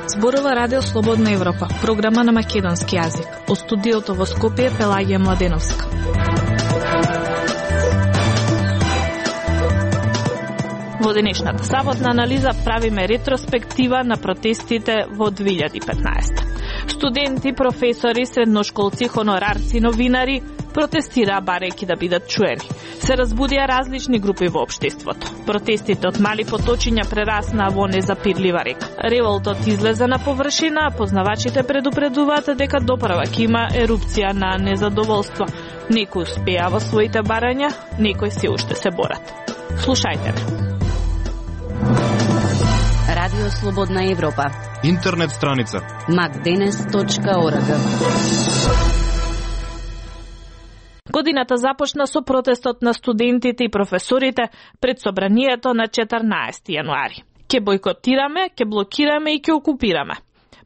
Зборува Радио Слободна Европа, програма на македонски јазик. Од студиото во Скопје Пелагија Младеновска. Во денешната саботна анализа правиме ретроспектива на протестите во 2015. Студенти, професори, средношколци, хонорарци, новинари протестираа барајќи да бидат чуени. Се разбудија различни групи во општеството. Протестите од мали поточиња прераснаа во незапирлива река. Револтот излезе на површина, а познавачите предупредуваат дека доправак има ерупција на незадоволство. Некои успеа во своите барања, некои се уште се борат. Слушајте ме. Радио Слободна Европа. Интернет страница macdenes.org. Годината започна со протестот на студентите и професорите пред собранието на 14 јануари. Ке бојкотираме, ке блокираме и ке окупираме.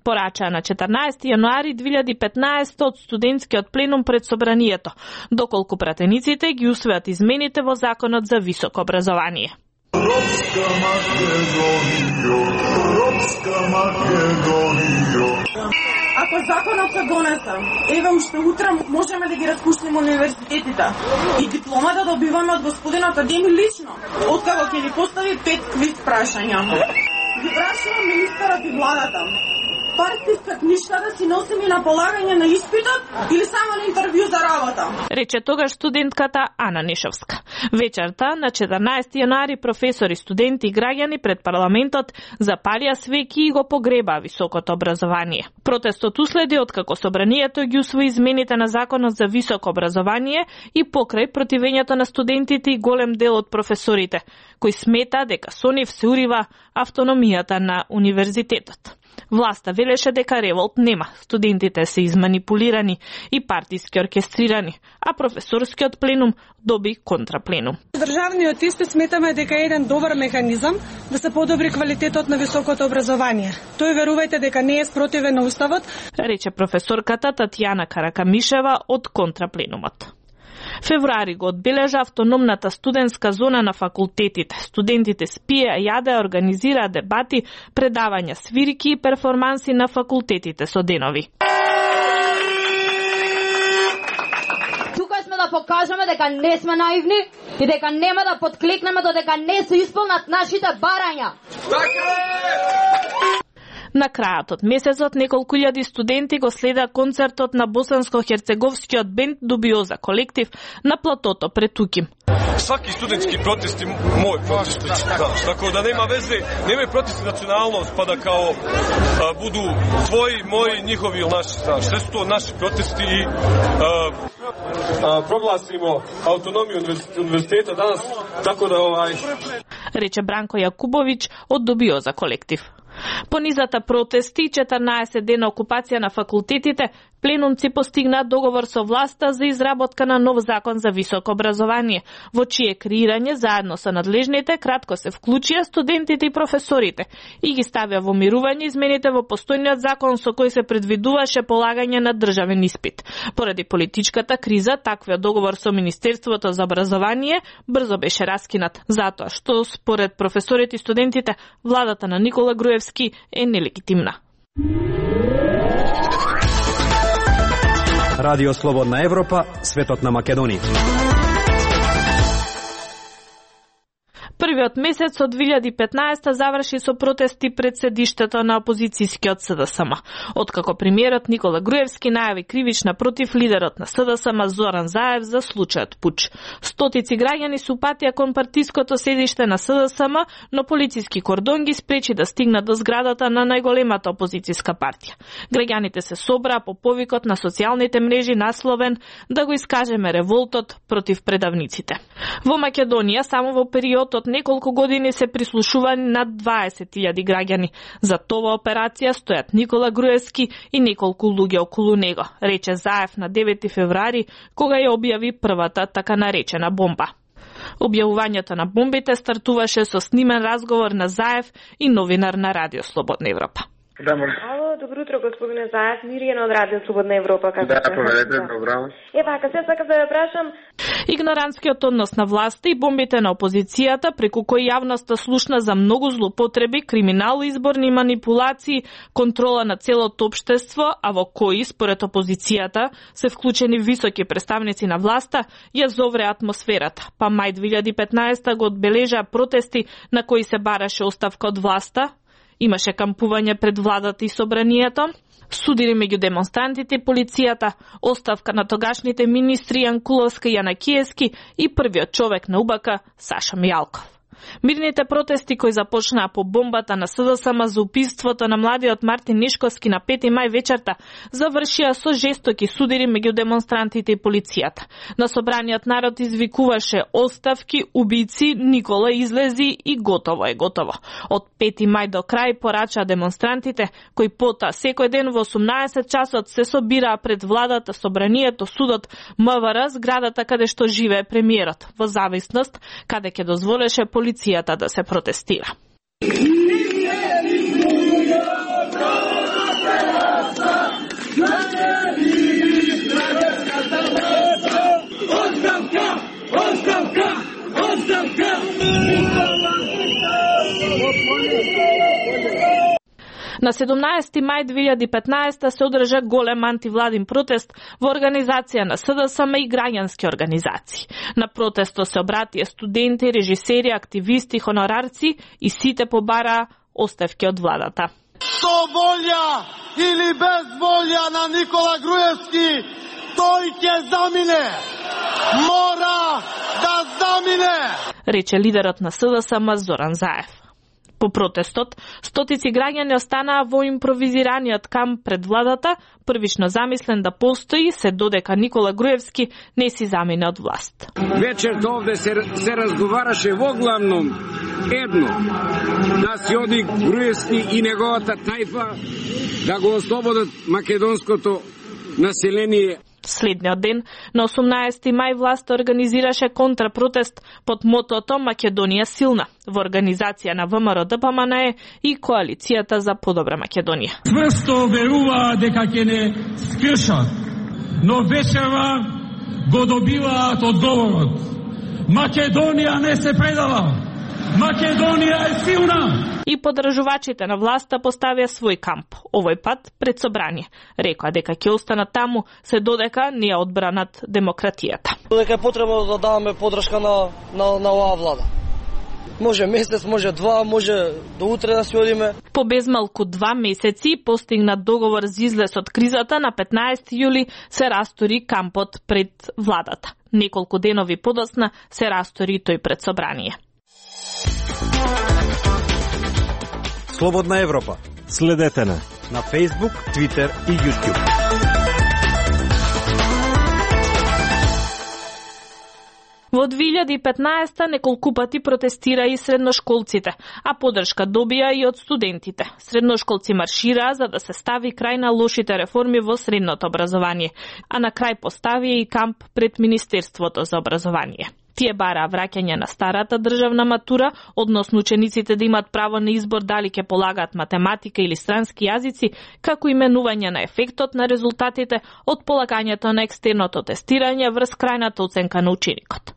Порачаа на 14 јануари 2015 од студентскиот пленум пред собранието, доколку пратениците ги усвојат измените во Законот за високо образование. Ропска Македонија. Ако законот се донесе, еве уште утре можеме да ги распуштиме универзитетите. И дипломата добиваме од господинот Адеми лично, откако ќе ни постави 5 квиз прашања. Ги прашувам министерот и владата. Парите искат ништа да си носими на полагање на испитот или само на интервју за работа? Рече тогаш студентката Ана Нишовска. Вечерта на 14 јануари професори, студенти и граѓани пред парламентот запалија свеќи и го погребаа високото образование. Протестот уследи откако собранието ги усвои измените на Законот за високо образование и покрај противењето на студентите и голем дел од професорите, кои смета дека со нив се урива автономијата на универзитетот. Власта велеше дека револт нема, студентите се изманипулирани и партиски оркестрирани, а професорскиот пленум доби контрапленум. Државниот испит сметаме дека е еден добар механизам да се подобри квалитетот на високото образование. Тој верувајте дека не е спротивен на уставот, рече професорката Татјана Каракамишева од контрапленумот. Февруари го одбележа автономната студентска зона на факултетите. Студентите спија, јадеа, организираа дебати, предавања, свирки и перформанси на факултетите со денови. Тука сме да покажеме дека не сме наивни и дека нема да подклекнеме додека не се исполнат нашите барања. На крајот од месецот неколку илјади студенти го следа концертот на босанско-херцеговскиот бенд Дубиоза колектив на платото пред Туким. Сваки студентски протести мој протести, така да нема везе, нема протести националност, па да као буду твои, мои, нjihovi или наши, знаеш, се тоа наши протести и прогласимо автономија универзитета данас, така да рече Бранко Јакубовиќ од Дубиоза колектив. По низата протести, 14 дена окупација на факултетите, пленумци постигнаат договор со власта за изработка на нов закон за високо образование, во чие креирање заедно со надлежните кратко се вклучија студентите и професорите и ги ставија во мирување измените во постојниот закон со кој се предвидуваше полагање на државен испит. Поради политичката криза, таквиот договор со Министерството за образование брзо беше раскинат, затоа што според професорите и студентите владата на Никола Груевски е нелегитимна. Радио Слободна Европа, светот на Македонија. Првиот месец од 2015 заврши со протести пред седиштето на опозицијскиот СДСМ. Откако премиерот Никола Груевски најави кривична против лидерот на СДСМ Зоран Заев за случајот пуч. Стотици граѓани се упатија кон партиското седиште на СДСМ, но полициски кордон ги спречи да стигнат до зградата на најголемата опозицијска партија. Граѓаните се собраа по повикот на социјалните мрежи насловен да го искажеме револтот против предавниците. Во Македонија само во периодот неколку години се прислушувани над 20.000 граѓани. За тоа операција стојат Никола Груевски и неколку луѓе околу него, рече Заев на 9 февруари, кога ја објави првата така наречена бомба. Објавувањето на бомбите стартуваше со снимен разговор на Заев и новинар на Радио Слободна Европа. Ало, Добро утро, господине Заев, Миријана од Радио Слободна Европа. Да, поведете, добро. Вака, се сакам да ја прашам. Игнорантскиот однос на власта и бомбите на опозицијата, преку кои јавноста слушна за многу злоупотреби, криминал, изборни манипулации, контрола на целото општество, а во кои, според опозицијата, се вклучени високи представници на власта, ја зовре атмосферата. Па мај 2015 го одбележа протести на кои се бараше оставка од власта, имаше кампување пред владата и собранието, судири меѓу демонстрантите и полицијата, оставка на тогашните министри Јанкуловска и Јанакиевски и првиот човек на УБК Саша Мијалков. Мирните протести кои започнаа по бомбата на СДСМ за убиството на младиот Мартин Нишковски на 5 мај вечерта завршија со жестоки судири меѓу демонстрантите и полицијата. На собраниот народ извикуваше оставки, убици, Никола излези и готово е готово. Од 5 мај до крај порачаа демонстрантите кои потоа секој ден во 18 часот се собираа пред владата, собранието, судот, МВР, зградата каде што живее премиерот, во зависност каде ќе дозволеше полицијата да се протестира. На 17 мај 2015 се одржа голем антивладин протест во организација на СДСМ и граѓански организации. На протестот се обратија студенти, режисери, активисти, хонорарци и сите побараа оставки од владата. Со волја или без волја на Никола Груевски, тој ќе замине. Мора да замине, рече лидерот на СДСМ Зоран Заев. По протестот, стотици граѓани останаа во импровизираниот камп пред владата, првично замислен да постои, се додека Никола Груевски не си замине од власт. Вечерта овде се разговараше во главном едно, да си оди Груевски и неговата тајфа да го ослободат македонското население. Следниот ден, на 18 мај, власта организираше контрапротест под мотото Македонија силна во организација на ВМРО ДПМНЕ и Коалицијата за подобра Македонија. Цврсто веруваа дека ќе не скршат, но вечерва го добиваат одговорот. Македонија не се предава. Македонија е силна. И поддржувачите на власта поставија свој камп, овој пат пред собрание. Рекоа дека ќе останат таму се додека не ја одбранат демократијата. Дека е потребно да даваме поддршка на оваа влада. Може месец, може два, може до утре да си одиме. По безмалку 2 месеци постигнат договор за излез од кризата, на 15 јули се растори кампот пред владата. Неколку денови подоцна се растори тој пред собрание. Слободна Европа. Следете на Facebook, Twitter и YouTube. Во 2015 неколку пати протестира и средношколците, а поддршка добија и од студентите. Средношколци маршираа за да се стави крај на лошите реформи во средното образование, а на крај поставија и камп пред Министерството за образование. Тие бараа враќање на старата државна матура, односно учениците да имат право на избор дали ќе полагаат математика или странски јазици, како именување на ефектот на резултатите од полагањето на екстерното тестирање врз крајната оценка на ученикот.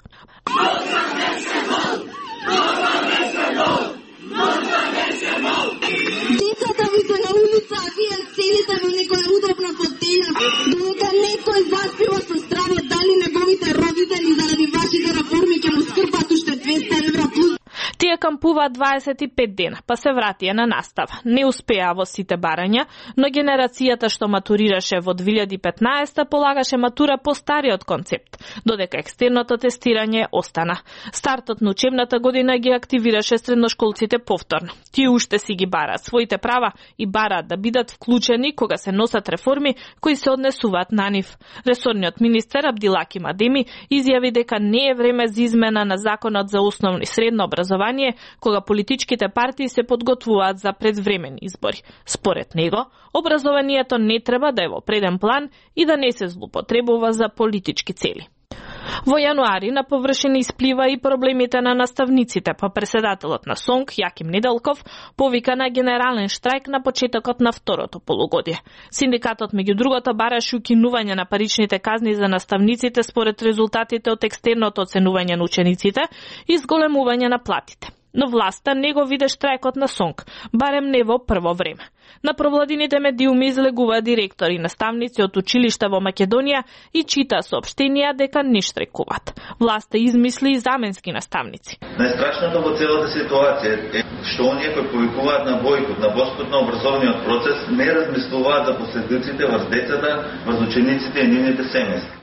Децата ви се на улица, а вие седите во некоја удобна фотеља, додека некој заспива со стравот дали неговите родители заради вашите реформи ќе му скрпат уште 200 евра плюс. Тие кампуваат 25 дена, па се вратија на настава. Не успеа во сите барања, но генерацијата што матурираше во 2015 полагаше матура по стариот концепт, додека екстерното тестирање остана. Стартот на учебната година ги активираше средношколците повторно. Тие уште си ги бараат своите права и бараат да бидат вклучени кога се носат реформи кои се однесуваат на нив. Ресорниот министер Абдилаки Мадеми изјави дека не е време за измена на законот за основно и средно образование, кога политичките партии се подготвуваат за предвремени избори. Според него, образованието не треба да е во преден план и да не се злоупотребува за политички цели. Во јануари на површина исплива и проблемите на наставниците, па председателот на СОНК, Јаким Неделков, повика на генерален штрајк на почетокот на второто полугодие. Синдикатот, меѓу другото, бараше укинување на паричните казни за наставниците според резултатите од екстерното оценување на учениците и зголемување на платите. Но власта не го виде штрајкот на СОНК, барем не во прво време. На провладините медиуми излегува директори и наставници од училишта во Македонија и чита соопштенија дека не штрајкуваат. Власта измисли и заменски наставници. Најстрашното во целата ситуација е што оние кои повикуваат на бојкот, на боспот на образовниот процес, не размислуваат за последиците врз децата, врз учениците и нивните семејства.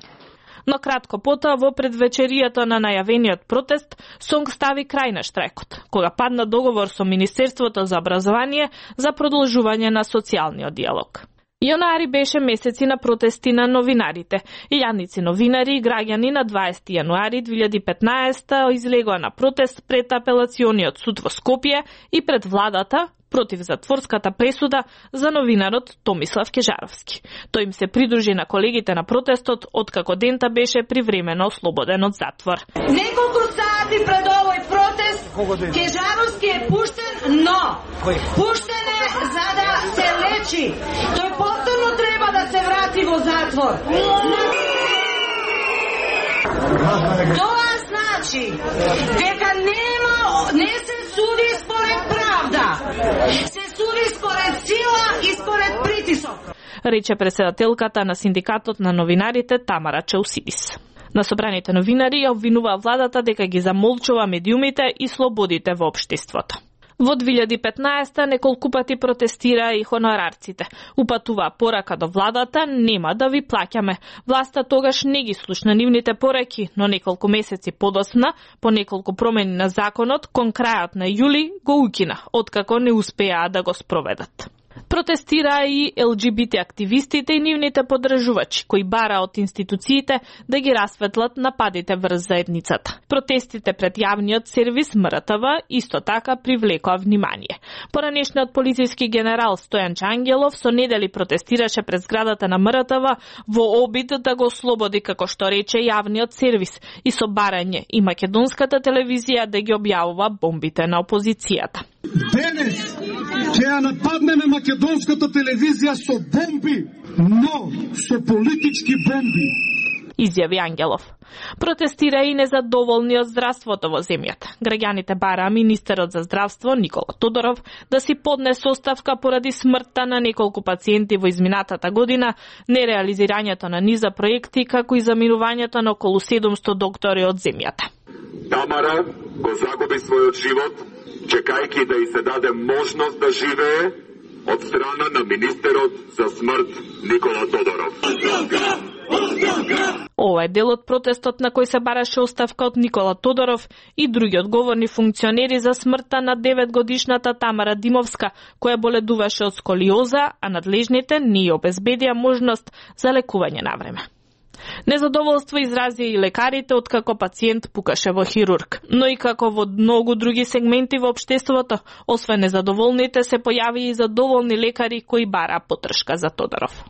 Но кратко потоа, во предвечерието на најавениот протест, СОНК стави крај на штрајкот, кога падна договор со Министерството за образование за продолжување на социјалниот диалог. Јануари беше месеци на протести на новинарите. Илјадници новинари и граѓани на 20 јануари 2015 излегоа на протест пред апелациониот суд во Скопје и пред владата против затворската пресуда за новинарот Томислав Кежаровски. Тој им се придружи на колегите на протестот, откако дента беше привремено ослободен од затвор. Неколку сати пред овој протест Кежаровски е пуштен, но пуштен е за да се лечи. Тој повторно треба да се врати во затвор. Тоа значи дека не се суди според правда. Се суди според сила и според притисок. Рече председателката на синдикатот на новинарите Тамара Чаусидис. На собраните новинари ја обвинува владата дека ги замолчува медиумите и слободите во општеството. Во 2015 неколку пати протестираа и хонорарците. Упатуваа порака до владата: нема да ви плаќаме. Власта тогаш не ги слушна нивните пораки, но неколку месеци подоцна, по неколку промени на законот, кон крајот на јули го укина, откако не успеаа да го спроведат. Протестираа и ЛГБТ активистите и нивните поддржувачи, кои бараа од институциите да ги расветлат нападите врз заедницата. Протестите пред јавниот сервис МРТВ исто така привлекоа внимание. Поранешниот полициски генерал Стојан Чангелов со недели протестираше пред зградата на МРТВ во обид да го ослободи, како што рече, јавниот сервис и со барање и македонската телевизија да ги објавува бомбите на опозицијата. Денес ќе ја нападнеме македонската телевизија со бомби, но со политички бомби, изјави Ангелов. Протестира и незадоволни од здравството во земјата. Граѓаните бараа министерот за здравство Никола Тодоров да си поднесе оставка поради смртта на неколку пациенти во изминатата година, нереализирањето на низа проекти, како и заминувањето на околу 700 доктори од земјата. Тамара го загуби својот живот, чекајќи да й се даде можност да живее од страна на министерот за смрт Никола Тодоров. Ова е дел од протестот на кој се бараше оставка од Никола Тодоров и други одговорни функционери за смртта на 9-годишната Тамара Димовска, која боледуваше од сколиоза, а надлежните не ја обезбедија можност за лекување на време. Незадоволство изрази и лекарите откако пациент пукаше во хирург, но и како во многу други сегменти во општеството, освен незадоволните се појави и задоволни лекари кои бараа потдршка за Тодоров.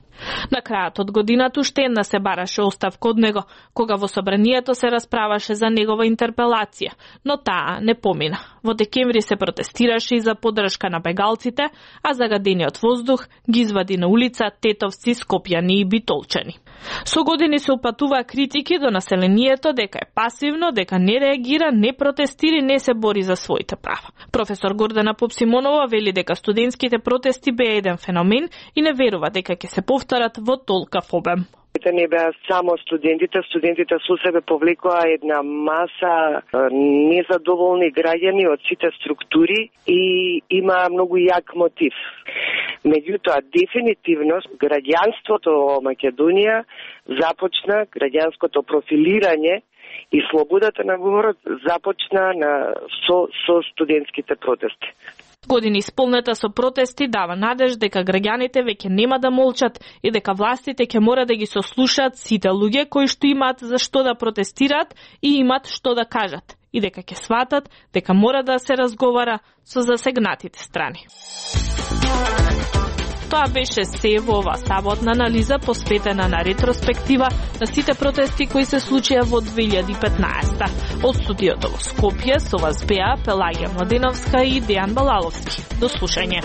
На крајот од годината уште една се бараше оставка од него, кога во собранието се расправаше за негова интерпелација, но таа не помина. Во декември се протестираше и за поддршка на бегалците, а загадениот воздух ги извади на улица тетовци, скопјани и битолчани. Со години се упатуваа критики до населението дека е пасивно, дека не реагира, не протестира и не се бори за своите права. Професор Гордана Попсимонова вели дека студентските протести беа еден феномен и не верува дека ќе се повторат во толкав обем. Не беа само студентите со себе повлекоа една маса незадоволни граѓани од сите структури и има многу јак мотив. Меѓутоа, дефинитивно, граѓанството во Македонија започна, граѓанското профилирање и слободата на говорот започна со студентските протести. Години исполнета со протести дава надеж дека граѓаните веќе нема да молчат и дека властите ќе мора да ги сослушаат сите луѓе кои што имаат за што да протестираат и имаат што да кажат и дека ќе сватат дека мора да се разговара со засегнатите страни. Тоа беше се во ова саботна анализа посветена на ретроспектива на сите протести кои се случија во 2015. Од студиото во Скопје со вас беа Пелагија Младеновска и Дејан Балаловски. До слушање.